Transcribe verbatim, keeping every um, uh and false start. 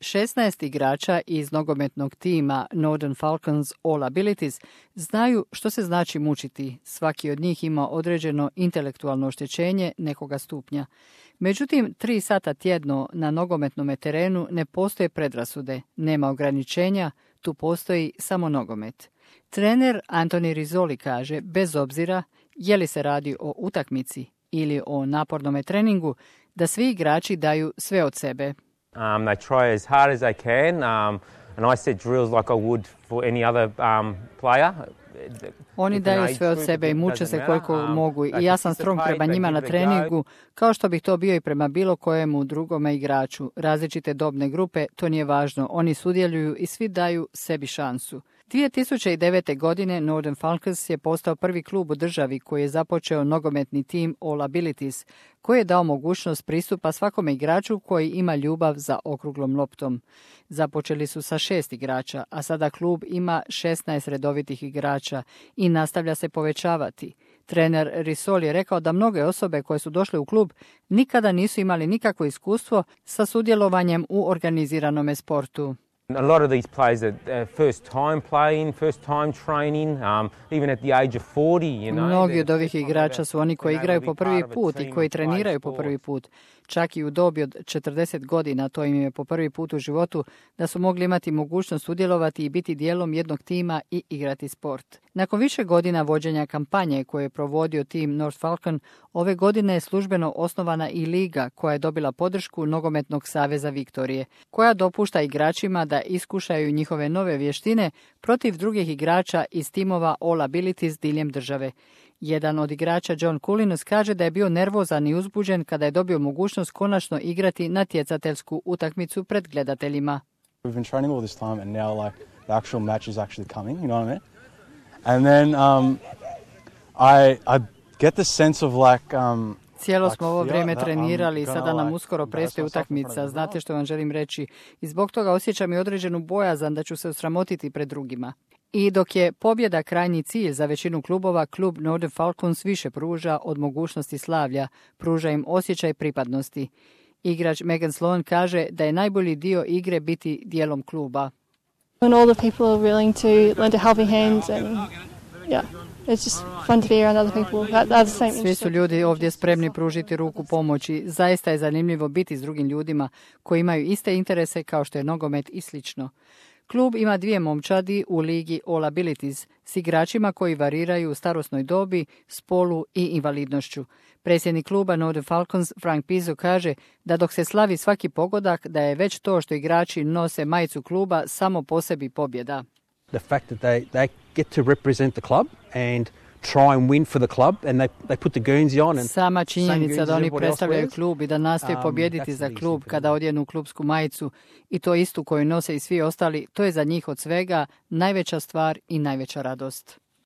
šesnaest igrača iz nogometnog tima Northern Falcons All Abilities znaju što se znači mučiti. Svaki od njih ima određeno intelektualno oštećenje nekoga stupnja. Međutim, tri sata tjedno na nogometnom terenu ne postoje predrasude, nema ograničenja, tu postoji samo nogomet. Trener Anthony Rizzoli kaže, bez obzira je li se radi o utakmici ili o napornom treningu, da svi igrači daju sve od sebe. Um, they try as hard as they can, um, and I set drills like I would for any other um, player. Oni daju sve od sebe i muče se koliko mogu i ja sam strong prema njima na treningu, kao što bih to bio i prema bilo kojemu drugome igraču. Različite dobne grupe, to nije važno. Oni sudjeluju i svi daju sebi šansu. dvije tisuće devete. godine Northern Falcons je postao prvi klub u državi koji je započeo nogometni tim All Abilities, koji je dao mogućnost pristupa svakome igraču koji ima ljubav za okruglom loptom. Započeli su sa šest igrača, a sada klub ima šesnaest redovitih igrača i nastavlja se povećavati. Trener Rizzoli je rekao da mnoge osobe koje su došle u klub nikada nisu imali nikakvo iskustvo sa sudjelovanjem u organiziranome sportu. A lot of these players are first time playing, first time training, um, even at the age of forty, you know. Mnogi od ovih igrača su oni koji igraju po prvi put i koji treniraju po prvi put. Čak i u dobi od četrdeset godina, to im je po prvi put u životu, da su mogli imati mogućnost sudjelovati i biti dijelom jednog tima i igrati sport. Nakon više godina vođenja kampanje koje je provodio tim North Falcon, ove godine je službeno osnovana i liga koja je dobila podršku Nogometnog saveza Viktorije, koja dopušta igračima da iskušaju njihove nove vještine protiv drugih igrača iz timova All Abilities diljem države. Jedan od igrača, John Coulinos, kaže da je bio nervozan i uzbuđen kada je dobio mogućnost konačno igrati natjecateljsku utakmicu pred gledateljima. We've been training all this time and now like the actual match is actually coming, you know what I mean? And then um, I I get the sense of like um Cijelo smo ovo vrijeme trenirali i sada nam uskoro predstoji utakmica, znate što vam želim reći. I zbog toga osjećam i određenu bojazan da ću se osramotiti pred drugima. I dok je pobjeda krajnji cilj za većinu klubova, klub Northern Falcons više pruža od mogućnosti slavlja, pruža im osjećaj pripadnosti. Igrač Megan Sloan kaže da je najbolji dio igre biti dijelom kluba. When all the people are willing to lend a helping hand and yeah. It's just fun to be around other people that are the same. Svi su ljudi ovdje spremni pružiti ruku pomoći. Zaista je zanimljivo biti s drugim ljudima koji imaju iste interese kao što je nogomet i slično. Klub ima dvije momčadi u ligi All Abilities s igračima koji variraju u starosnoj dobi, spolu i invalidnošću. Predsjednik kluba Northern Falcons Frank Pizzo kaže da dok se slavi svaki pogodak, da je već to što igrači nose majicu kluba samo po sebi pobjeda. The fact that they, they get to represent the club and try and win for the club and they, they put the Guernsey on. And sama činjenica da oni predstavljaju klub i da nastoje um, pobijediti za klub kada odjenu klubsku majicu i to istu koju nose i svi ostali, to je za njih od svega najveća stvar i najveća radost.